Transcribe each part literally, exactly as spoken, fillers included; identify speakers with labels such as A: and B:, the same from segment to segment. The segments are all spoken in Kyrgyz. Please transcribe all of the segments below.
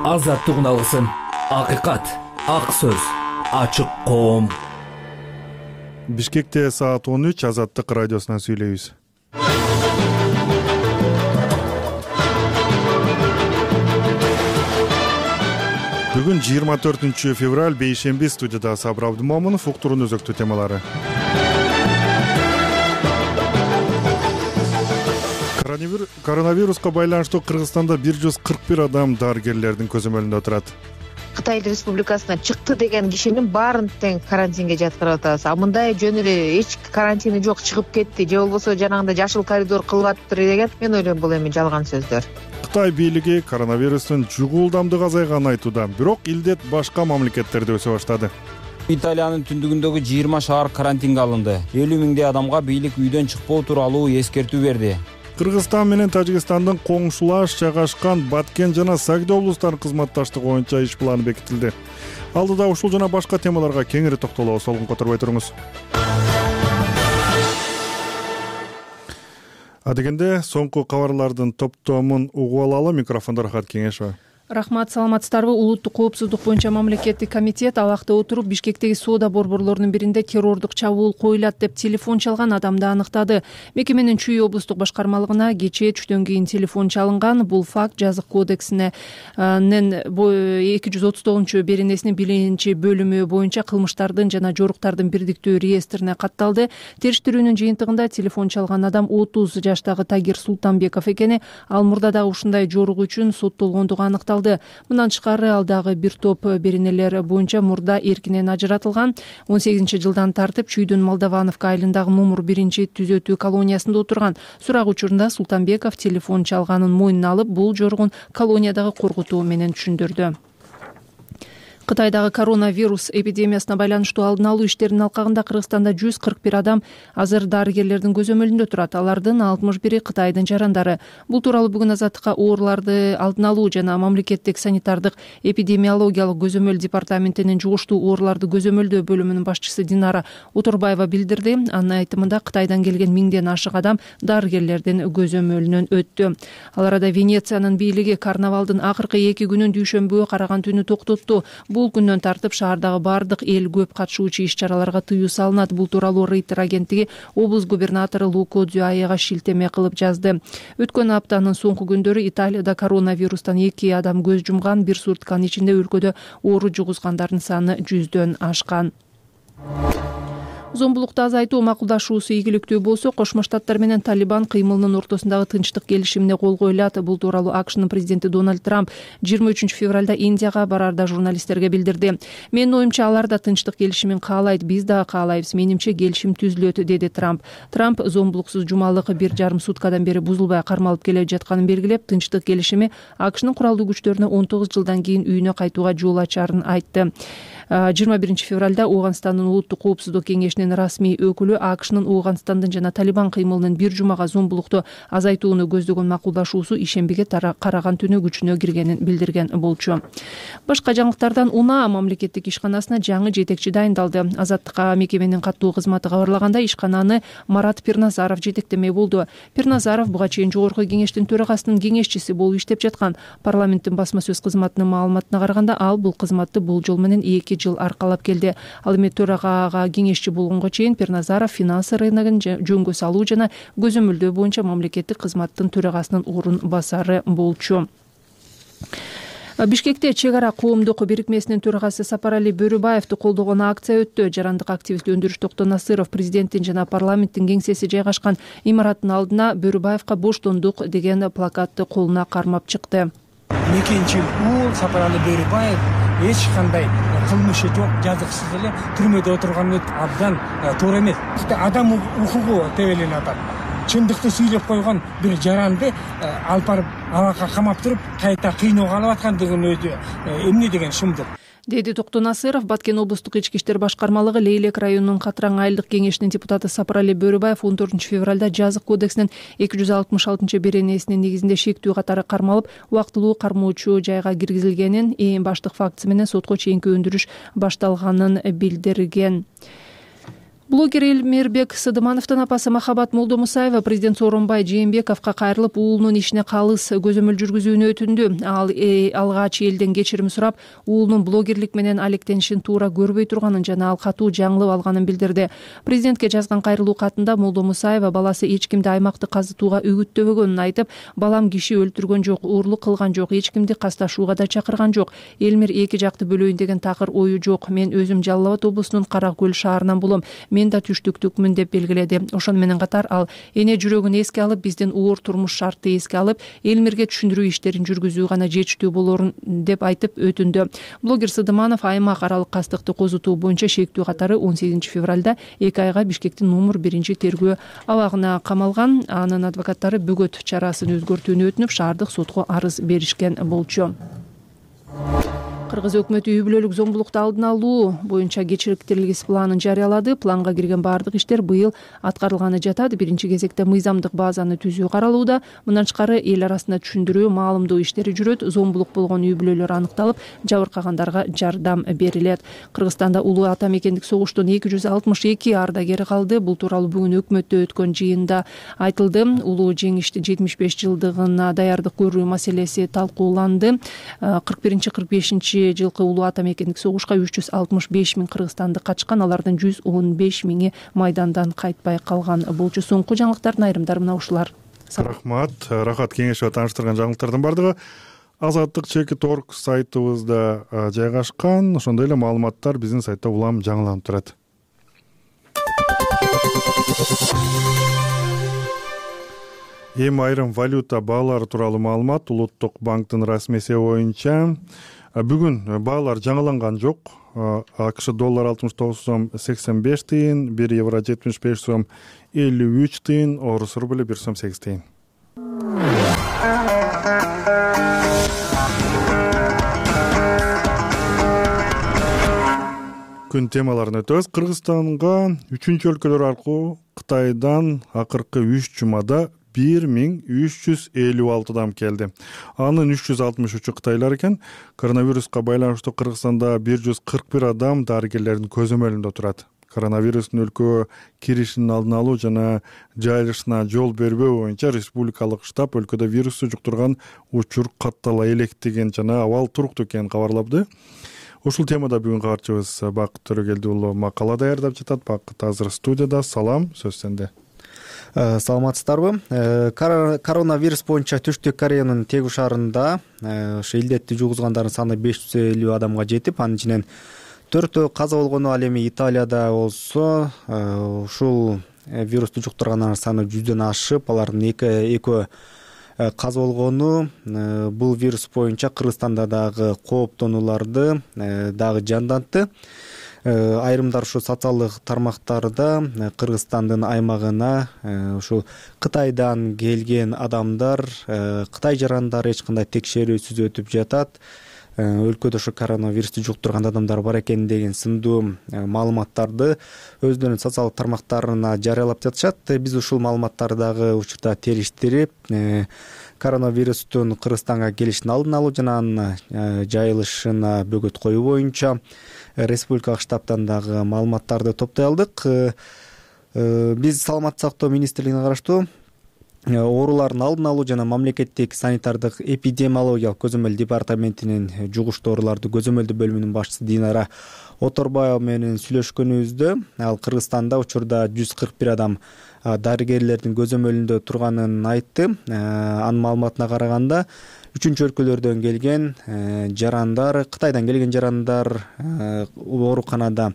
A: азаттыгын алгысың. Акыйкат, ак сөз, ачык коом.
B: Бишкекте саат он үч, Азаттык радиосунан сүйлөйбүз. Бүгүн жыйырма төртүнчү февраль, бейшемби. Студияда Сабыр Абдымомунов. Уктуруунун өзөктүү темалары. Коронавируска байланыштуу Кыргызстанда бир жүз кырк бир адам дарыгерлердин көзөмөлүндө отурат.
C: Кытай Республикасынан чыкты деген кишинин баарын тең карантинге жаткырып атабыз. А мындай жөн эле эч карантини жок, чыгып кетти же болбосо жанагындай жашыл коридор кылып атыптыр деген мен ойлойм бул эми жалган сөздөр.
B: Кытай бийлиги коронавирустун жугуулдамдыгы азайганын айтууда, бирок илдет башка мамлекеттерде өсө баштады.
D: Италиянын түндүгүндөгү жыйырма шаар карантинге алынды. элүү миңдей адамга бийлик үйдөн чыкпоо тууралуу эскертүү берди.
B: Кыргызстан менен Тажикстандын коңшулаш жайгашкан Баткен жана Сагды облустарынын кызматташтыгы боюнча иш планы бекитилди. Алдыда ушул жана башка темаларга кеңири токтолобуз. Солгун которбой туруңуз. Адегенде соңку кабарлардын топтомун угуп алалы. Микрофондо Рахат Кеңешова.
E: Рахмат, саламатсыздарбы? Улуттук коопсуздук боюнча мамлекеттик комитет абакта отуруп Бишкектеги соода борборлорунун биринде террордук чабуул коюлат деп телефон чалган адамды аныктады. Мекеменин Чүй облустук башкармалыгына кечээ түштөн кийин телефон чалынган. Бул факт жазык кодексинин эки жүз отуз тогузунчу беренесинин биринчи бөлүмү боюнча кылмыштардын жана жоруктардын бирдиктүү реестрине катталды. Териштирүүнүн жыйынтыгында телефон чалган адам отуз жаштагы Тагир Султанбеков экени, ал мурда дагы ушундай жорук үчүн соттолгондугу аныкталды. Мындан тышкары ал дагы бир топ беренелер боюнча мурда эркинен ажыратылган. он сегизинчи жылдан тартып Чүйдүн Молдовановка айылындагы номер биринчи түзөтүү колониясында отурган. Сурак учурунда Султанбеков телефон чалганын мойнуна алып, бул жоругун колониядагы коркутуу менен түшүндүрдү. Кытайдагы коронавирус эпидемиясына байланыштуу алдын алуу иштеринин алкагында Кыргызстанда жүз кырк бир адам азыр дарыгерлердин көзөмөлүндө турат. Алардын алтымыш бири Кытайдын жарандары. Бул тууралуу бүгүн Азаттыкка ооруларды алдын алуу жана мамлекеттик санитардык эпидемиологиялык көзөмөл департаментинин жугуштуу ооруларды көзөмөлдөө бөлүмүнүн башчысы Динара Уторбаева билдирди. Анын айтымында Кытайдан келген миңден ашык адам дарыгерлердин көзөмөлүнөн өттү. Ал арада Венециянын бийлиги карнавалдын акыркы эки күнүн дүйшөмбүгө караган түнү токтотту. Бул күндөн тартып шаардагы бардык эл көп катышуучу иш-чараларга тыюу салынат. Бул тууралуу Рейтер агенттиги облус губернатору Лука Дзюаега шилтеме кылып жазды. Өткөн аптанын соңку күндөрү Италияда коронавирустан эки адам көз жумган. Бир сутканын ичинде өлкөдө оору жугузгандардын саны жүздөн ашкан. Зомбулукту азайтуу макулдашуусу ийгиликтүү болсо, Кошмо Штаттар менен Талибан кыймылынын ортосундагы тынчтык келишимине кол коюлат. Бул тууралуу АКШнын президенти Дональд Трамп жыйырма үчүнчү февралда Индияга барарда журналисттерге билдирди. Менин оюмча, алар да тынчтык келишимин каалайт, биз дагы каалайбыз. Менимче келишим түзүлөт, деди Трамп. Трамп зомбулуксуз жумалык бир жарым суткадан бери бузулбай кармалып келе жатканын белгилеп, тынчтык келишими АКШнын куралдуу күчтөрүнө он тогуз жылдан кийин үйүнө кайтууга жол ачарын айтты. жыйырма биринчи февралда Ооганстандын улуттук коопсуздук кеңешинин расмий өкүлү АКШнын Ооганстандын жана Талибан кыймылынын бир жумага зомбулукту азайтууну көздөгөн макулдашуусу ишембиге караган түнү күчүнө киргенин билдирген болчу. Башка жаңылыктардан УНА мамлекеттик ишканасына жаңы жетекчи дайындалды. Азаттыкка мекеменин каттуу кызматы кабарлаганда, ишкананы Марат Пирназаров жетектемек болду. Пирназаров буга чейин жогорку кеңештин төрагасынын кеңешчиси болуп иштеп жаткан. Парламенттин басма сөз кызматынын маалыматына караганда, ал бул кызматты болжол менен эки жыл аркалап келди. Ал эми төрагага кеңешчи болгонго чейин Пирназаров финанс рыногун жөнгө салуу жана көзөмөлдөө боюнча мамлекеттик кызматтын төрагасынын орун басары болчу. Бишкекте чек ара коомдук бирикмесинин төрагасы Сапарали Бөрүбаевди колдогон акция өттү. Жарандык активист Өндүрүш Токтонасыров президенттин жана парламенттин кеңсеси жайгашкан имараттын алдына Бөрүбаевка боштондук деген плакатты колуна кармап чыкты.
F: Экинчи ул Сапарали Бөрүбаев эч кандай кылмышы жок, жазыксыз эле түрмөдө отурганы абдан туура эмес. Адам укугу тебеленип атат. Чындыкты сүйлөп койгон бир жаранды алып барып абакка камап туруп, кайта кыйноого алып аткандыгын өзү эмне деген шумдук.
E: деди Токтонасыров. Баткен облустук ички иштер башкармалыгы Лейлек районунун Катраң айылдык кеңешинин депутаты Сапарали Бөрүбаев он төртүнчү февралда жазык кодексинин эки жүз алтымыш алтынчы беренесинин негизинде шектүү катары кармалып, убактылуу кармоочу жайга киргизилгенин, эң баштык фактысы менен сотко чейинки өндүрүш башталганын билдирген. Блогер Элмирбек Сыдымановдун апасы Махабат Молдомусаева президент Сооронбай Жээнбековго кайрылып, уулунун ишине калыс көзөмөл жүргүзүүнү өтүндү. Ал э, алгач элден кечирим сурап, уулунун блогерлик менен алектенишин туура көрбөй турганын жана ал катуу жаңылып алганын билдирди. Президентке жазган кайрылуу катында Молдомусаева баласы эч кимди аймакты казытууга үгүттөбөгөнүн айтып, балам киши өлтүргөн жок, уурлук кылган жок, эч кимди касташууга да чакырган жок. Элмир эки жакты бөлөйүн деген такыр ою жок. Мен өзүм Жалал Абад облусунун Кара Көл шаарынан болом. Мен да түштүктүкмүн деп белгиледи. Ошону менен катар ал эне жүрөгүн эске алып, биздин оор турмуш шартты эске алып, Элмирге түшүндүрүү иштерин жүргүзүү гана жетиштүү болорун деп айтып өтүндү. Блогер Сыдыманов аймак аралык кастыкты козутуу боюнча шектүү катары он сегизинчи февралда эки айга Бишкектин номер биринчи тергөө абагына камалган. Анын адвокаттары бөгөт чарасын өзгөртүүнү өтүнүп, шаардык сотко арыз беришкен болчу. Кыргыз өкмөтү үй бүлөлүк зомбулукту алдын алуу боюнча кечириктирилгис планын жарыялады. Планга кирген баардык иштер быйыл аткарылганы жатат. Биринчи кезекте мыйзамдык базаны түзүү каралууда. Мындан тышкары эл арасында түшүндүрүү, маалымдоо иштери жүрөт. Зомбулук болгон үй бүлөлөр аныкталып, жабыркагандарга жардам берилет. Кыргызстанда улуу ата мекендик согуштун эки жүз алтымыш эки ардагери калды. Бул тууралуу бүгүн өкмөттө өткөн жыйында айтылды. Улуу жеңиштин жетимиш беш жылдыгына даярдык көрүү маселеси талкууланды. кырк биринчи кырк бешинчи жылкы улуу ата мекендик согушка үч жүз алтымыш беш миң кыргызстандык качкан, алардын жүз он беш миңи майдандан кайтпай калган болчу. Соңку жаңылыктардын айрымдары мына ушулар.
B: Рахмат. Рахат кеңешова тааныштырган жаңылыктардын бардыгы Азаттык чекит орг сайтыбызда жайгашкан. Ошондой эле маалыматтар биздин сайтта улам жаңыланып турат. Эми айрым валюта баалары тууралуу маалымат. Улуттук банктын расмий эсеби боюнча бүгүн баалар жаңыланган жок. АКШ доллар алтымыш тогуз сом сексен беш тыйын, бир евро жетимиш беш сом элүү үч тыйын, орус рубль бир сом сегиз тыйын. Күн темаларын өтөбүз. Кыргызстанга үчүнчү өлкөлөр аркылуу Кытайдан акыркы үч жумада бир миң үч жүз элүү алты адам келди. Анын үч жүз алтымыш үчү кытайлар экен. Коронавируска байланыштуу Кыргызстанда бир жүз кырк бир адам дарыгерлердин көзөмөлүндө турат. Коронавирустун өлкөгө киришинин алдын алуу жана жайылышына жол бербөө боюнча республикалык штаб өлкөдө вирусту жуктурган учур каттала электеген жана абал туруктуу экенин кабарлапты. Ушул темада бүгүн кабарчыбыз Бакыт Төрөгелди уулу макала даярдап жатат. Бакыт азыр студияда. Салам, сөз сенде.
G: Саламатсыздарбы? Коронавирус боюнча Түштүк Кореянын Тегу шаарында ушу илдетти жугузгандардын саны беш жүз элүү адамга жетип, анын ичинен төртөө каза болгону. Ал эми Италияда болсо ушул вирусту жуктургандардын саны жүздөн ашып, алардын экөө каза болгону. Бул вирус боюнча Кыргызстанда дагы кооптонууларды дагы жандантты. Айрымдар ушу социалдык тармактарда Кыргызстандын аймагына ушул Кытайдан келген адамдар, Кытай жарандары эч кандай текшерүүсүз өтүп жатат. Өлкөдө ушу коронавирусту жуктурган адамдар бар экен деген сындуу маалыматтарды өздөрүнүн социалдык тармактарына жарыялап жатышат. Биз ушул маалыматтарды дагы учурда териштирип, коронавирустун Кыргызстанга келишин алдын алуу жана анын жайылышына бөгөт коюу боюнча республикалык штабтан дагы маалыматтарды топтой алдык. Биз Саламаттык сактоо министрлигине караштуу оорулардын алдын алуу жана мамлекеттик санитардык эпидемиологиялык көзөмөл департаментинин жугуштуу ооруларды көзөмөлдөө бөлүмүнүн башчысы Динара Оторбаева менен сүйлөшкөнүбүздө ал Кыргызстанда учурда жүз кырк бир адам дарыгерлердин көзөмөлүндө турганын айтты. Анын маалыматына караганда үчүнчү өлкөлөрдөн келген жарандар, Кытайдан келген жарандар ооруканада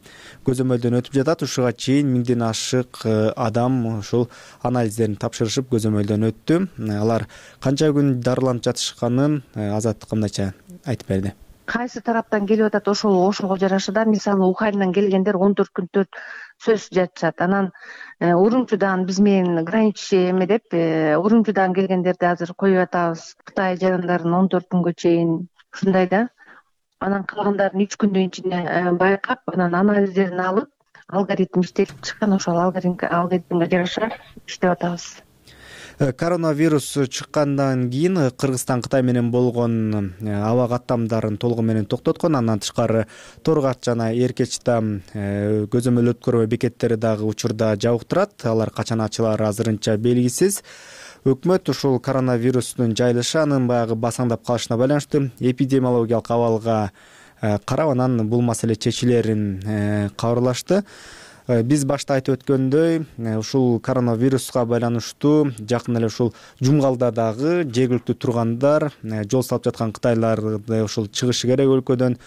G: көзөмөлдөн өтүп жатат. Ушуга чейин миңден ашык адам ушул анализдерин тапшырышып көзөмөлдөн өттү. Алар канча күн дарыланып жатышканын Азаттыкка мындайча айтып берди.
C: Кайсы тараптан келип атат, ошол ошого жараша да, мисалы Уханьдан келгендер он төрт күн төрт сөз жатышат. Анан Урумчудан биз менен граничный эме деп, Урумчудан келгендерди азыр коюп атабыз. Кытай жарандарын он төрт күнгө чейин ушундай да. Анан калгандарын үч күндүн ичинде байкап, анан анализдерин алып, алгоритм иштелип чыккан, ошол алгоритмге жараша иштеп атабыз.
G: Коронавирус чыккандан кийин Кыргызстан Кытай менен болгон аба каттамдарын толугу менен токтоткон. Андан тышкары Торгат жана Эркечтам көзөмөл өткөрүү бекеттери дагы учурда жабык турат. Алар качан ачылары азырынча белгисиз. Өкмөт ушул коронавирустун жайылышы анын баягы басаңдап калышына байланыштуу эпидемиологиялык абалга карап анан бул маселе чечилерин кабарлашты. Биз башта айтып өткөндөй, ушул коронавируска байланыштуу жакын эле ушул Жумгалда дагы жергиликтүү тургандар жол салып жаткан кытайларды ушул чыгышы керек өлкөдөн,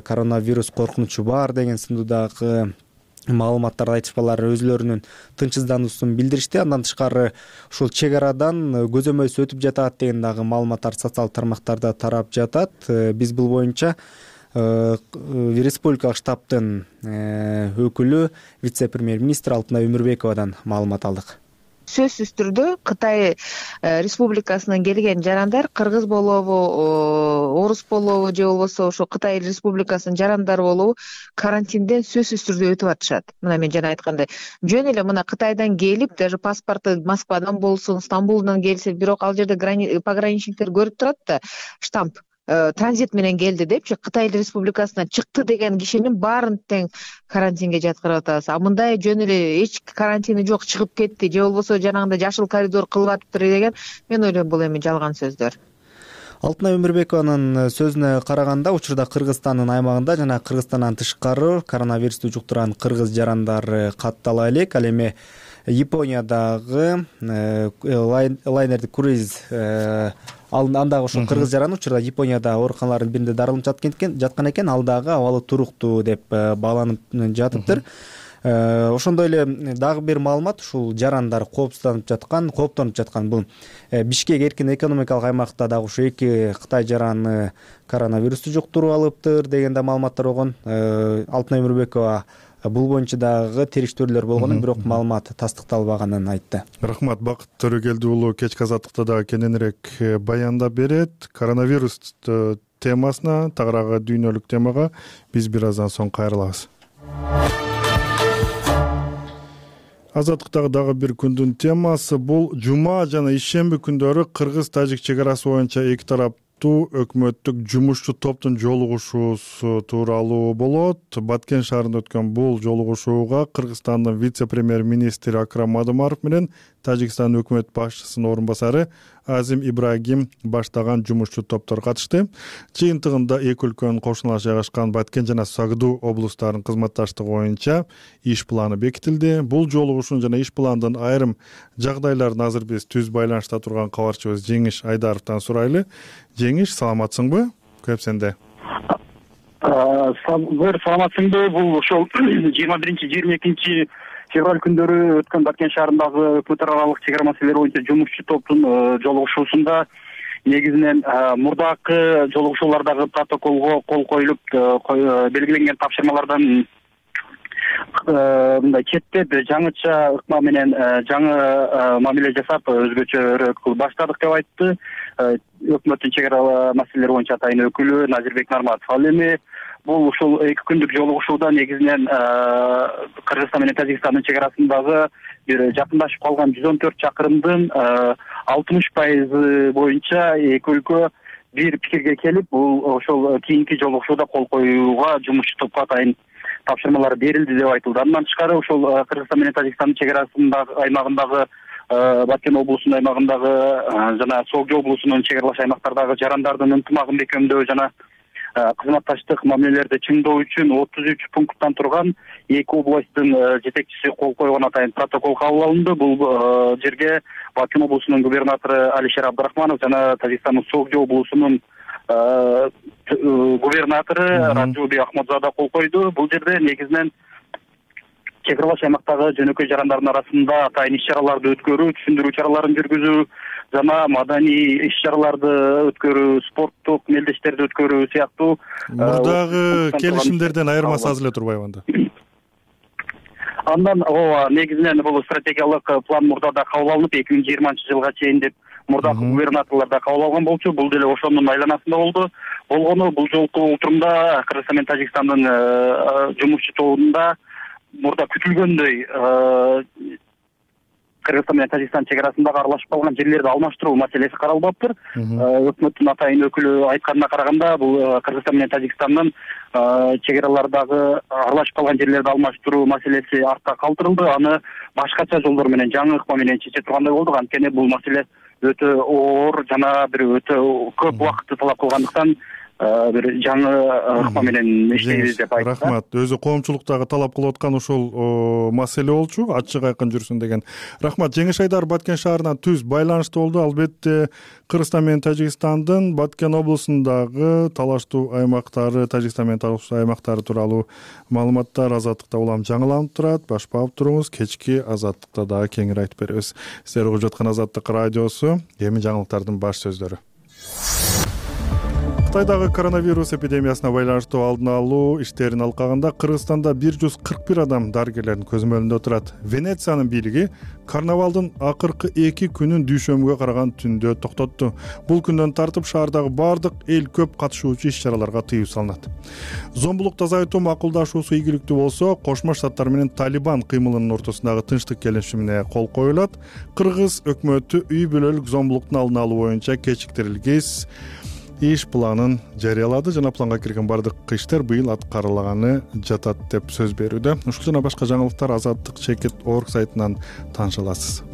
G: коронавирус коркунучу бар деген сындуу дагы маалыматтарды айтышпалар өзлөрүнүн тынчсыздануусун билдиришти. Андан тышкары ушул чек арадан көзөмөлсүз өтүп жатат деген дагы маалыматтар социалдык тармактарда тарап жатат. Биз бул боюнча республикалык штабтын өкүлү вице-премьер-министр Алтынай Өмүрбековадан маалымат алдык.
C: Сөзсүз түрдө Кытай Республикасынан келген жарандар кыргыз болобу, орус болобу же болбосо ошо Кытай Республикасынын жарандары болобу карантинден сөзсүз түрдө өтүп атышат. Мына мен жана айткандай, жөн эле мына Кытайдан келип, даже паспорту Москвадан болсун, Стамбулдан келсе, бирок ал жерде пограничниктер көрүп турат да, штамп транзит менен келди депчи, Кытай Республикасынан чыкты деген кишинин баарын тең карантинге жаткырып атабыз. А мындай жөн эле эч карантини жок чыгып кетти же болбосо жанагындай жашыл коридор кылып атыптыр деген, мен ойлойм бул эми жалган сөздөр.
G: Алтынай Өмүрбекованын сөзүнө караганда, учурда Кыргызстандын аймагында жана Кыргызстандан тышкары коронавирусту жуктурган кыргыз жарандары каттала элек. Ал эми Япониядагы лайнерди круиз андагы ушул кыргыз жараны учурда Японияда ооруканалардын биринде дарыланып жаткан экен, ал дагы абалы туруктуу деп бааланып жатыптыр. Ошондой эле дагы бир маалымат, ушул жарандар коопсузданып жаткан, кооптонуп жаткан бул Бишкек эркин экономикалык аймакта дагы ушу эки Кытай жараны коронавирусту жуктуруп алыптыр деген да маалыматтар болгон. Алтынай Өмүрбекова бул боюнча дагы териштирүүлөр болгонун, бирок маалымат тастыкталбаганын айтты.
B: Рахмат, Бакыт Төрөгелди уулу кечки азаттыкта дагы кененирээк баяндап берет. Коронавирус темасына, тагыраагы дүйнөлүк темага биз бир аздан соң кайрылабыз. Азаттыктагы дагы бир күндүн темасы бул жума жана ишемби күндөрү кыргыз-тажик чек арасы боюнча эки тараптуу өкмөттүк жумушчу топтун жолугушуусу тууралуу болот. Баткен шаарында өткөн бул жолугушууга Кыргызстандын вице-премьер-министри Акрам Мадумаров менен Тажикстан өкмөт башчысынын орун басары Азим Ибрагим баштаган жумушчу топтор катышты. Жыйынтыгында эки өлкөнүн кошуналаш жайгашкан Баткен жана Сагдуу облустарынын кызматташтыгы боюнча иш планы бекитилди. Бул жолугушуун жана иш пландын айрым жагдайларын азыр биз түз байланышта турган кабарчыбыз Жеңиш Айдаровдон сурайлы. Жеңиш, саламатсыңбы? Көп сенде.
H: Бир саламатсыңбы? Бул ошол жыйырма биринчи жыйырма экинчи февраль күндөрү өткөн Баткен шаарындагы өкмөт аралык чек ара маселелери боюнча жумушчу топтун жолугушуусунда негизинен мурдакы жолугушуулардагы протоколго кол коюлуп белгиленген тапшырмалардан мындай четтеп жаңыча ыкма менен жаңы мамиле жасап өзгөчөрөөк кылып баштадык деп айтты өкмөттүн чек ара маселелери боюнча атайын өкүлү Назирбек Нарматов. Ал эми бул ушул эки күндүк жолугушууда негизинен Кыргызстан менен Тажикстандын чек арасындагы бир жакындашып калган жүз он төрт чакырымдын алтымыш пайызы боюнча эки өлкө бир пикирге келип, бул ошол кийинки жолугушууда кол коюуга жумушчу топко атайын тапшырмалар берилди деп айтылды. Андан тышкары ошол Кыргызстан менен Тажикстандын чек арасындагы аймагындагы Баткен облусунун аймагындагы жана Согдо облусунун чек аралаш аймактардагы жарандардын ынтымагын бекемдөө жана кызматташтык мамилелерди чыңдоо үчүн отуз үч пункттан турган эки областтын жетекчиси кол койгон атайын протокол кабыл алынды. Бул жерге Баткен облусунун губернатору Алишер Абдрахманов жана Тажикстандын Согдо облусунун губернатору Раджуби Ахмадзада кол койду. Бул жерде негизинен чек аралаш аймактагы жөнөкөй жарандардын арасында атайын иш чараларды өткөрүү, түшүндүрүү чараларын жүргүзүү жана маданий иш чараларды өткөрүү, спорттук мелдештерди өткөрүү сыяктуу
B: мурдагы келишимдерден айырмасы аз эле турбайбы анда?
H: Андан ооба негизинен бул стратегиялык план мурда да кабыл алынып эки миң жыйырманчы жылга чейин деп мурдакы губернаторлор да кабыл алган болчу. Бул деле ошонун айланасында болду. Болгону бул жолку отурумда Кыргызстан менен Тажикстандын жумушчу тобунда мурда күтүлгөндөй Кыргызстан менен Тажикстан чек арасындагы аралашып калган жерлерди алмаштыруу маселеси каралбаптыр. Өкмөттүн атайын өкүлү айтканына караганда, бул Кыргызстан менен Тажикстандын чек аралардагы аралашып калган жерлерди алмаштыруу маселеси артта калтырылды. Аны башкача жолдор менен, жаңы ыкма менен чече тургандай болдук. Анткени бул маселе өтө оор жана бир өтө көп убакытты талап кылгандыктан бир жаңы ыкма менен иштейбиз деп айтты.
B: Рахмат. Өзү коомчулуктагы талап кылып аткан ушул маселе болчу, ачык айкын жүрсүн деген. Рахмат. Жеңиш Айдар Баткен шаарынан түз байланышта болду. Албетте Кыргызстан менен Тажикстандын Баткен облусундагы талаштуу аймактары, Тажикстан менен талаштуу аймактары тууралуу маалыматтар Азаттыкта улам жаңыланып турат. Башпап туруңуз. Кечки Азаттыкта дагы кеңири айтып беребиз. Сиздер угуп жаткан Азаттык радиосу. Эми жаңылыктардын баш сөздөрү. Кытайдагы коронавирус эпидемиясына байланыштуу алдын алуу иштерин алкагында Кыргызстанда бир жүз кырк бир адам дарыгерлердин көзөмөлүндө турат. Венециянын бийлиги карнавалдын акыркы эки күнүн дүйшөмбүгө караган түндө токтотту. Бул күндөн тартып шаардагы бардык эл көп катышуучу иш-чараларга тыюу салынат. Зомбулукту азайтуу макулдашуусу ийгиликтүү болсо, Кошмо Штаттар менен Талибан кыймылынын ортосундагы тынчтык келишимине кол коюлат. Кыргыз өкмөтү үй бүлөлүк зомбулуктун алдын алуу боюнча кечиктирилгис иш планын жарыялады жана планга кирген бардык иштер быйыл аткарылганы жатат деп сөз берүүдө. Ушул жана башка жаңылыктар Азаттык чекит орг сайтынан тааныша аласыз.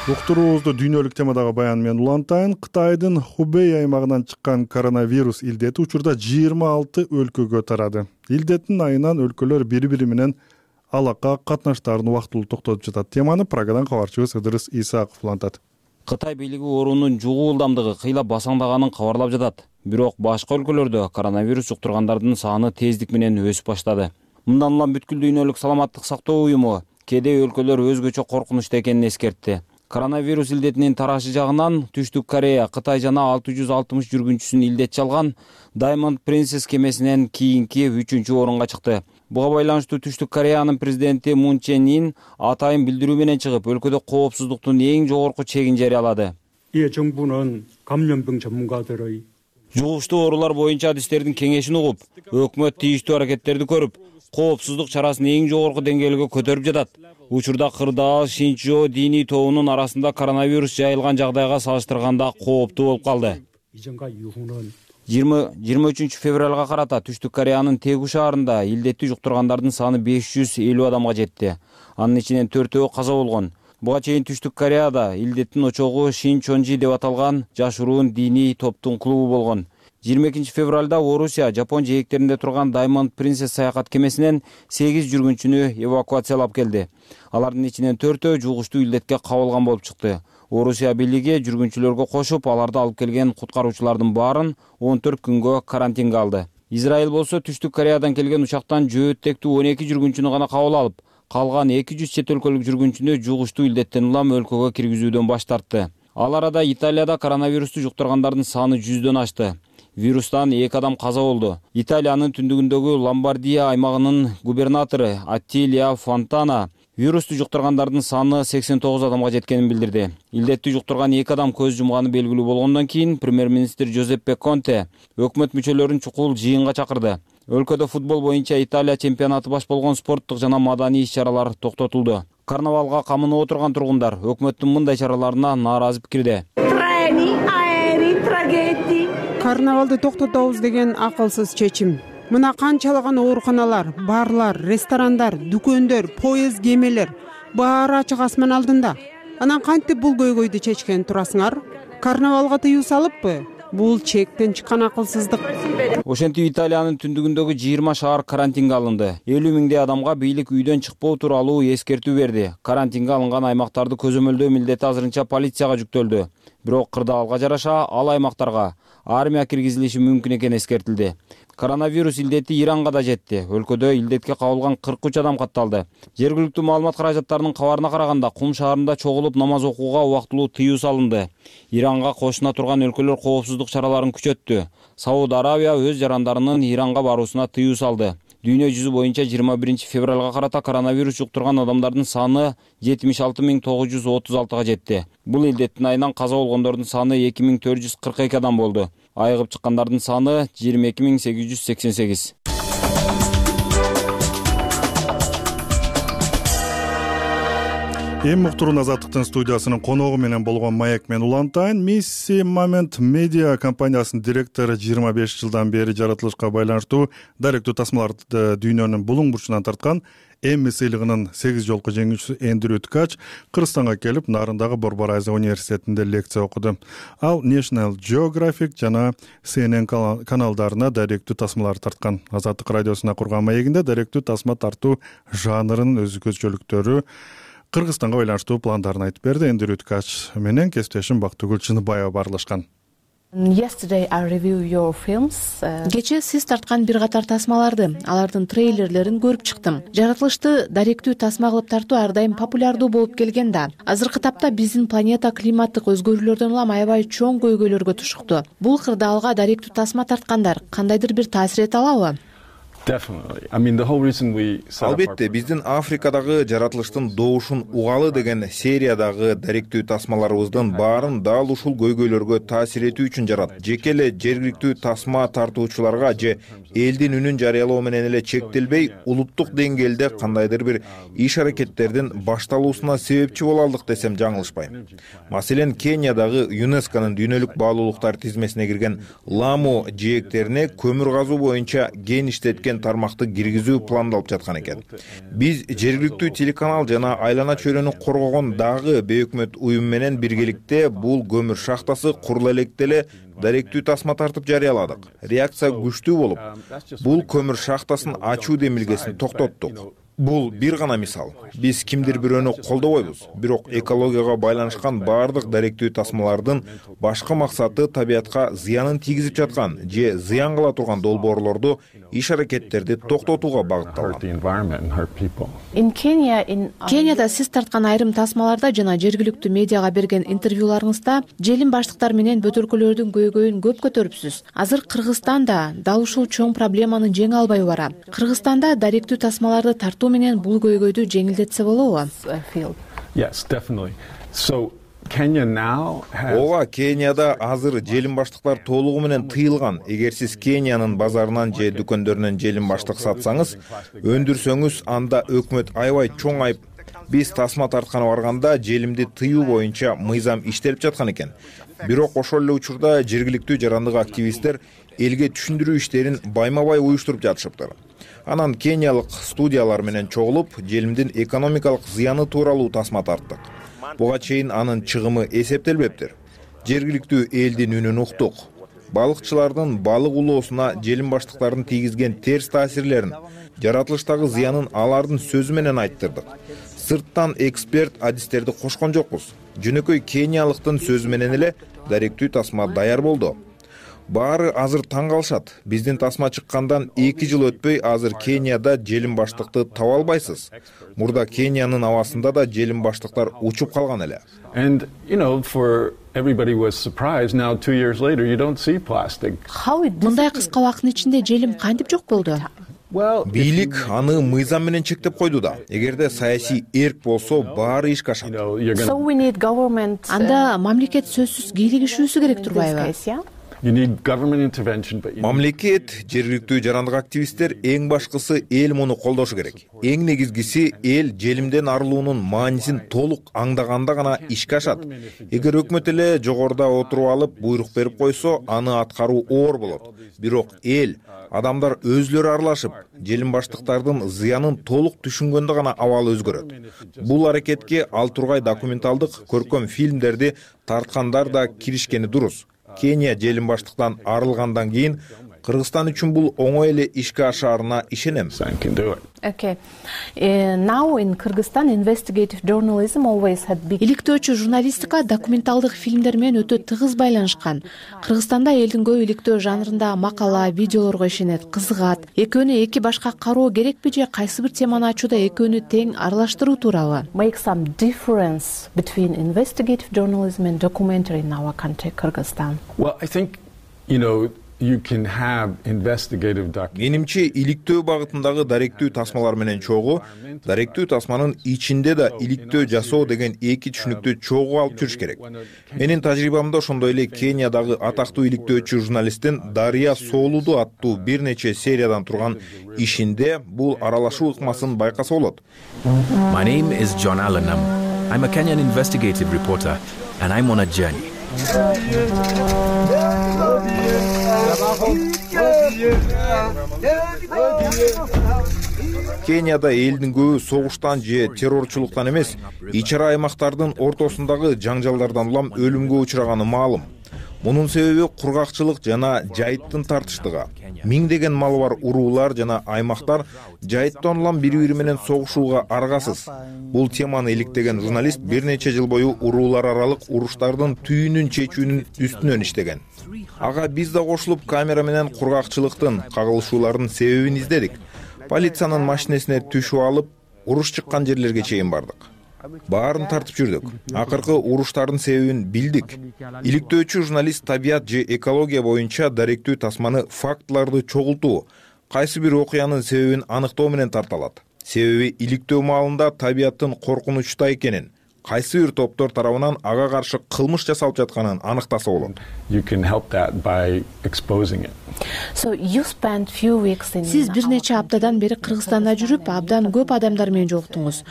B: Уктуруубузду дүйнөлүк темадагы баян менен улантайын. Кытайдын Хубей аймагынан чыккан коронавирус илдети учурда жыйырма алты өлкөгө тарады. Илдеттин айынан өлкөлөр бири-бири менен алака катнаштарын убактылуу токтотуп жатат. Теманы Прагадан кабарчыбыз Ыдырыс Исаков улантат.
D: Кытай бийлиги оорунун жугуу ылдамдыгы кыйла басаңдаганын кабарлап жатат. Бирок башка өлкөлөрдө коронавирус жуктургандардын саны тездик менен өсүп баштады. Мындан улам бүткүл дүйнөлүк саламаттык сактоо уюму кээде өлкөлөр өзгөчө коркунучта экенин эскертти. Коронавирус илдетинин тарашы жагынан Түштүк Корея, Кытай жана алты жүз алтымыш жүргүнчүсүн илдет чалган Diamond Princess кемесинен кийинки үчүнчү орунга чыкты. Буга байланыштуу Түштүк Кореянын президенти Мун Чен Ин атайын билдирүү менен чыгып, өлкөдө коопсуздуктун эң жогорку чегин жарыялады.
F: 이 정부는 감염병 전문가들의
D: Жугуштуу оорулар боюнча адистердин кеңешин угуп, өкмөт тийиштүү аракеттерди көрүп, коопсуздук чарасын эң жогорку деңгээлге көтөрүп жатат. Учурда Кырдаал, Шинчжоо диний тобунун арасында коронавирус жайылган жагдайга салыштырганда кооптуу болуп калды. жыйырма үчүнчү февралга карата Түштүк Кореянын Тэгу шаарында илдетти жуктургандардын саны беш жүз элүү адамга жетти. Анын ичинен төртөө каза болгон. Буга чейин Түштүк Кореяда илдеттин очогу Шинчонжи деп аталган жашыруун диний топтун клубу болгон. жыйырма экинчи февралда Орусия Жапон жээктеринде турган Diamond Princess саякат кемесинен сегиз жүргүнчүнү эвакуациялап келди. Алардын ичинен төртөө жугуштуу илдетке кабылган болуп чыкты. Орусия бийлиги жүргүнчүлөргө кошуп, аларды алып келген куткаруучулардын баарын он төрт күнгө карантинге алды. Израиль болсо Түштүк Кореядан келген учактан жөөттектүү он эки жүргүнчүнү гана кабыл алып, калган эки жүз чет өлкөлүк жүргүнчүнү жугуштуу илдеттен улам өлкөгө киргизүүдөн баш тартты. Ал арада Италияда коронавирусту жуктургандардын саны жүздөн ашты. Вирустан эки адам каза болду. Италиянын түндүгүндөгү Ломбардия аймагынын губернатору Аттилия Фонтана вирусту жуктургандардын саны сексен тогуз адамга жеткенин билдирди. Илдетти жуктурган эки адам көз жумганы белгилүү болгондон кийин премьер-министр Джузеппе Конте өкмөт мүчөлөрүн чукул жыйынга чакырды. Өлкөдө футбол боюнча Италия чемпионаты баш болгон спорттук жана маданий иш-чаралар токтотулду. Карнавалга камынып отурган тургундар өкмөттүн мындай чараларына нааразы пикирде.
I: Карнавалды токтотобуз деген акылсыз чечим. Мына канчалаган ооруканалар, барлар, ресторандар, дүкөндөр, поезд, кемелер баары ачык асман алдында. Анан кантип бул көйгөйдү чечкен турасыңар? Карнавалга тыюу салыппы? Бул чектен чыккан акылсыздык.
D: Ошентип Италиянын түндүгүндөгү жыйырма шаар карантинге алынды. элүү миңдей адамга бийлик үйдөн чыкпоо тууралуу эскертүү берди. Карантинге алынган аймактарды көзөмөлдөө милдети азырынча полицияга жүктөлдү. Бирок Кырдаалга жараша ал аймактарга армия киргизилиши мүмкүн экени эскертилди. Коронавирус илдети Иранга да жетти. Өлкөдө илдетке кабылган кырк үч адам катталды. Жергиликтүү маалымат каражаттарынын кабарына караганда Кум шаарында чогулуп намаз окууга убактылуу тыюу салынды. Иранга кошуна турган өлкөлөр коопсуздук чараларын күчөттү. Сауд Арабия өз жарандарынын Иранга баруусуна тыюу салды. Дүйнө жүзү боюнча жыйырма биринчи февралга карата коронавирус жуктурган адамдардын саны жетимиш алты миң тогуз жүз отуз алтыга жетти. Бул илдеттин айынан каза болгондордун саны эки миң төрт жүз кырк эки адам болду. Айыгып чыккандардын саны жыйырма эки миң сегиз жүз сексен сегиз.
B: эми уктуруун Азаттыктын студиясынын коногу менен болгон маек мен улантайын. Мисси Момент Медиа компаниясынын директору жыйырма беш жылдан бери жаратылышка байланыштуу даректүү тасмаларды дүйнөнүн булуң бурчунан тарткан Эмми сыйлыгынын сегиз жолку жеңүүчүсү Эндрю Ткач Кыргызстанга келип, нарындагы Борборайза университетинде лекция окуду. Ал National Geographic жана Си Эн Эн каналдарына даректүү тасмалар тарткан. Азаттык радиосуна курган маегинде даректүү тасма тартуу жанрынын өзгөчөлүктөрү, Кыргызстанга байланыштуу пландарын айтып берди. Эндрю Ткач менен кесиптешим Бактыгүл Чыныбаева баарлашкан.
J: Кечээ сиз тарткан бир катар тасмаларды, алардын трейлерлерин көрүп чыктым. Жаратылышты даректүү тасма кылып тартуу ар дайым популярдуу болуп келген да. Азыркы тапта биздин планета климаттык өзгөрүүлөрдөн улам аябай чоң көйгөйлөргө тушукту. Бул кырдаалга даректүү тасма тарткандар кандайдыр бир таасир эте алабы?
K: Албетте, биздин Африкадагы жаратылыштын добушун угалы деген сериядагы даректүү тасмаларыбыздын баарын дал ушул көйгөйлөргө таасир этүү үчүн жарат. Жеке эле жергиликтүү тасма тартуучуларга же элдин үнүн жарыялоо менен эле чектелбей, улуттук деңгээлде кандайдыр бир иш аракеттердин башталуусуна себепчи боло алдык десем жаңылышпайм. Маселен, Кениядагы ЮНЕСКОнун дүйнөлүк баалуулуктар тизмесине кирген Ламу жээктерине көмүр казуу боюнча ген иштеткен тармакты киргизүү пландалып жаткан экен. Биз жергиликтүү телеканал жана айлана чөйрөнү коргогон дагы бейөкмөт уюм менен биргеликте бул көмүр шахтасы куруло электе эле даректүү тасма тартып жарыяладык. Реакция күчтүү болуп, бул көмүр шахтасын ачуу демилгесин токтоттук. Бул бир гана мисал. Биз кимдир бирөөнү колдобойбуз, бирок экологияга байланышкан баардык даректүү тасмалардын башкы максаты табиятка зыянын тийгизип жаткан же зыян кыла турган долбоорлорду, иш аракеттерди токтотууга багытталган.
J: Кенияда сиз тарткан айрым тасмаларда жана жергиликтүү медиага берген интервьюларыңызда желим баштыктар менен бөтөлкөлөрдүн көйгөйүн көп көтөрүпсүз. Азыр Кыргызстан да дал ушул чоң проблеманы жеңе албай барат. Кыргызстанда даректүү тасмаларды тартуу менен бул көйгөйдү жеңилдетсе болобу?
K: Ооба, Кенияда азыр желим баштыктар толугу менен тыйылган. Эгер сиз Кениянын базарынан же дүкөндөрүнөн желим баштык сатсаңыз, өндүрсөңүз, анда өкмөт аябай чоң айып. Биз тасма тартканы барганда желимди тыюу боюнча мыйзам иштелип жаткан экен. Бирок ошол эле учурда жергиликтүү жарандык активисттер элге түшүндүрүү иштерин байма-бай уюштуруп жатышыптыр. Анан кениялык студиялар менен чогулуп, желимдин экономикалык зыяны тууралуу тасма тарттык. Буга чейин анын чыгымы эсептелбептир. Жергиликтүү элдин үнүн уктук. Балыкчылардын балык улоосуна желим баштыктардын тийгизген терс таасирлерин, жаратылыштагы зыянын алардын сөзү менен айттырдык. Сырттан эксперт адистерди кошкон жокпуз. Жөнөкөй кениялыктын сөзү менен эле даректүү тасма даяр болду. Баары азыр таң калышат. Биздин тасма чыккандан эки жыл өтпөй азыр Кенияда желим баштыкты таба албайсыз. Мурда Кениянын абасында да желим баштыктар учуп калган эле.
J: Мындай кыска убакыттын ичинде желим кантип жок болду?
K: Бийлик аны мыйзам менен чектеп койду да. Эгерде саясий эрк болсо, баары ишке ашат.
J: Анда мамлекет сөзсүз кийлигишүүсү керек турбайбы?
K: Мамлекет, жергиликтүү жарандык активисттер эң башкысы эл муну колдошу керек. Эң негизгиси эл желимден арылуунун маанисин толук аңдаганда гана ишке ашат. Эгер өкмөт эле жогоруда отуруп алып буйрук берип койсо, аны аткаруу оор болот. Бирок эл, адамдар өзлөрү аралашып, желим баштыктардын зыянын толук түшүнгөндө гана абалы өзгөрөт. Бул аракетке ал тургай документалдык, көркөм фильмдерди тарткандар да киришкени дурус. Кения желим баштыктан арылгандан кийин Кыргызстан үчүн бул оңой эле ишке ашаарына ишенем.
J: Иликтөөчү журналистика документалдык фильмдер менен өтө тыгыз байланышкан. Кыргызстанда элдин көбү иликтөө жанрында макала, видеолорго ишенет, кызыгат. Экөөнү эки башка кароо керекпи же кайсы бир теманы ачууда экөөнү тең аралаштыруу туурабы?
L: Make some difference between investigative journalism and documentary in our country, Kyrgyzstan.
M: Well, I think, you know, you can have investigative documentary.
K: Менимче иликтөө багытындагы даректүү тасмалар менен чогуу, даректүү тасманын ичинде да иликтөө жасоо деген эки түшүнүктү чогуу алып жүрүш керек. Менин тажрыйбамда ошондой эле Кениядагы атактуу иликтөөчү журналисттин Дария Соолуду аттуу бир нече сериядан турган ишинде бул аралашуу ыкмасын байкаса болот.
N: My name is John Allenham. I'm a Kenyan investigative reporter, and I'm on a journey.
K: Кенияда элдин көбү согуштан же террорчулуктан эмес, ич-ара аймактардын ортосундагы жаңжалдардан улам өлүмгө учураганы маалым. Мунун себеби кургакчылык жана жайыттын тартыштыгы. Миңдеген малы бар уруулар жана аймактар жайыттан улам бири-бири менен согушууга аргасыз. Бул теманы иликтеген журналист бир нече жыл бою уруулар аралык уруштардын түйүнүн чечүүнүн үстүнөн иштеген. Ага биз да кошулуп камера менен кургакчылыктын, кагылышуулардын себебин издедик. Полициянын машинесине түшүп алып, уруш чыккан жерлерге чейин бардык. Баарын тартып жүрдүк. Акыркы уруштардын себебин билдик. Иликтөөчү журналист табият же экология боюнча даректүү тасманы фактыларды чогултуу, кайсы бир окуянын себебин аныктоо менен тарталат. Себеби иликтөө маалында табияттын коркунучта экенин, кайсы бир топтор тарабынан ага каршы кылмыш жасалып жатканын аныктаса болот.
M: You can help that by exposing it.
L: So you spent few weeks in
J: Сиз бир нече аптадан бери Кыргызстанда жүрүп, абдан көп адамдар менен жолуктуңуз.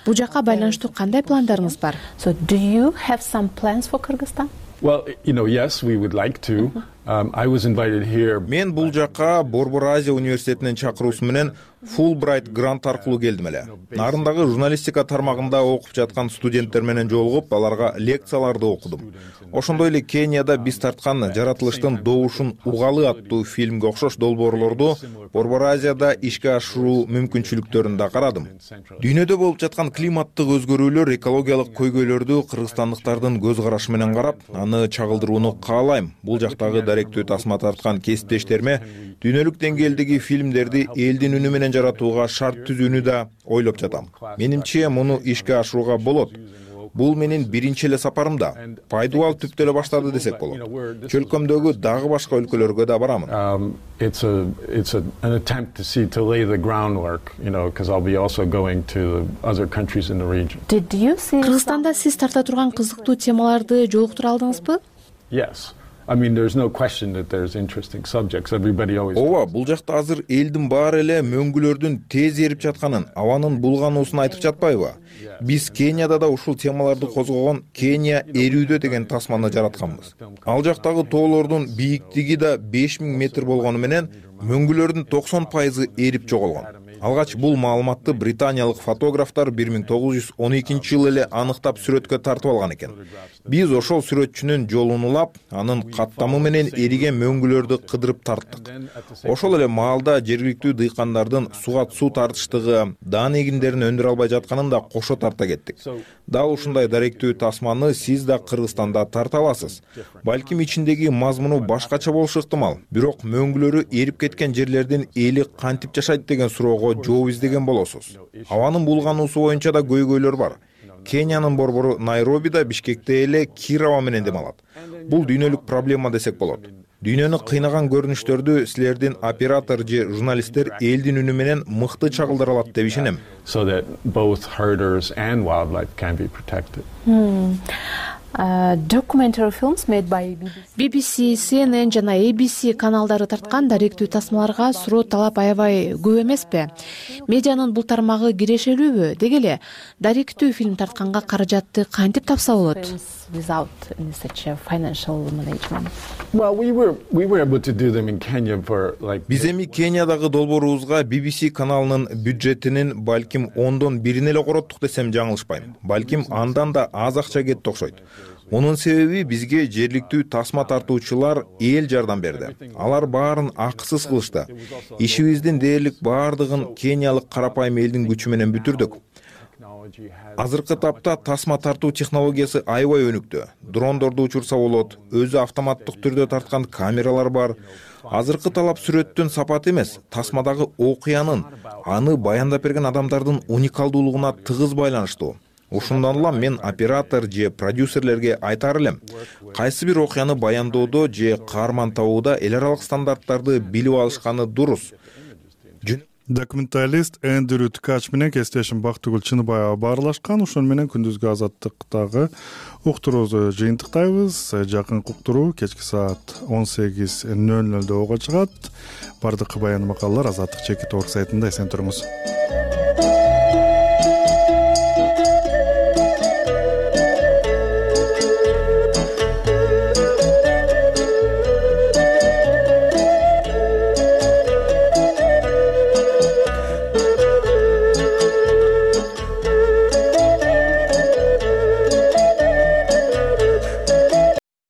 J: Бул жакка байланыштуу кандай пландарыңыз бар?
L: So do you have some plans for Kyrgyzstan?
M: Well, you know, yes, we would like to. Um, I was invited here.
K: Мен бул жакка Борбор Азия университетинин чакыруусу менен Fulbright грант аркылуу келдим эле. Нарындагы журналистика тармагында окуп жаткан студенттер менен жолугуп, аларга лекцияларды окудум. Ошондой эле Кенияда биз тарткан жаратылыштын добушун угалы аттуу фильмге окшош долбоорлорду Борбор Азияда ишке ашыруу мүмкүнчүлүктөрүн да карадым. Дүйнөдө болуп жаткан климаттык өзгөрүүлөр, экологиялык көйгөйлөрдү кыргызстандыктардын көз карашы менен карап, аны чагылдырууну каалайм. Бул жактагы даректүү тасма тарткан кесиптештериме дүйнөлүк деңгээлдеги фильмдерди элдин үнү менен жаратууга шарт түзүүнү да ойлоп жатам. Менимче муну ишке ашырууга болот. Бул менин биринчи эле сапарымда. Пайдубал түптө эле баштады десек болот. Чөлкөмдөгү дагы башка өлкөлөргө да барамын.
M: Um, it's a it's a, an attempt to see to lay the groundwork, you know, because I'll be also going to other countries in the region.
L: Did you see
J: Кыргызстанда сиз тарта турган кызыктуу темаларды жолуктура алдыңызбы?
M: Yes. I mean, there's no question that there's interesting subjects. Everybody always.
K: Ооба, бул жакта азыр элдин баары эле мөңгүлөрдүн тез эрип жатканын, абанын булгануусун айтып жатпайбы? Биз Кенияда да ушул темаларды козгогон Кения эрүүдө деген тасманы жаратканбыз. Ал жактагы тоолордун бийиктиги да беш миң метр болгону менен мөңгүлөрдүн токсон пайызы эрип жоголгон. Алгач бул маалыматты британиялык фотографтар бир миң тогуз жүз он экинчи жылы эле аныктап сүрөткө тартып алган экен. Биз ошол сүрөтчүнүн жолун улап, анын каттамы менен эриген мөңгүлөрдү кыдырып тарттык. Ошол эле маалда жергиликтүү дыйкандардын суга суу тартыштыгы, даан эгиндерин өндүрө албай жатканын да кошо тарта кеттик. Дал ушундай даректүү тасманы сиз да Кыргызстанда тарта аласыз. Балким ичиндеги мазмуну башкача болушу ыктымал. Бирок мөңгүлөрү эрип кеткен жерлердин эли кантип жашайт деген суроого жооп издеген болосуз. Абанын булгануусу боюнча да көйгөйлөр бар. Кениянын борбору Найробида, Бишкекте эле кир аба менен дем алат. Бул дүйнөлүк проблема десек болот. Дүйнөнү кыйнаган көрүнүштөрдү силердин оператор же журналисттер элдин үнү менен мыкты чагылдыра алат деп ишенем.
M: So that both herders and wildlife can be protected.
L: Hmm. Uh, documentary films made by
J: би би си, си эн эн жана эй би си каналдары тарткан даректүү тасмаларга суроо талап аябай көп эмеспи? Медианын бул тармагы кирешелүүбү? Деги эле даректүү фильм тартканга каражатты кантип тапса болот?
L: Without such a financial management.
M: Well, we were we were able to do them in Kenya for like.
K: Биз эми Кениядагы долбоорубузга би би си каналынын бюджетинин балким ондон бирин эле короттук десем жаңылышпайм. Балким андан да аз акча кетти окшойт. Мунун себеби бизге жергиликтүү тасма тартуучулар эл жардам берди. Алар баарын акысыз кылышты. Ишибиздин дээрлик баардыгын кениялык карапайым элдин күчү менен бүтүрдүк. Азыркы тапта тасма тартуу технологиясы аябай өнүктү. Дрондорду учурса болот, өзү автоматтык түрдө тарткан камералар бар. Азыркы талап сүрөттүн сапаты эмес, тасмадагы окуянын, аны баяндап берген адамдардын уникалдуулугуна тыгыз байланыштуу. Ушундан улам мен оператор же продюсерлерге айтар элем. Кайсы бир окуяны баяндоодо же каарман табууда эл аралык стандарттарды билип алышканы дурус.
B: Документалист Эндрю Ткач менен кесиптешим Бактыгүл Чыныбаева баарлашкан. Ошон менен күндүзгү азаттыктагы уктуруубузду жыйынтыктайбыз. Жакынкы уктуруу кечки саат он сегиз нөл нөлдө ого чыгат. Бардык баян макалалар Азаттык чекит орг сайтында эсен туруңуз.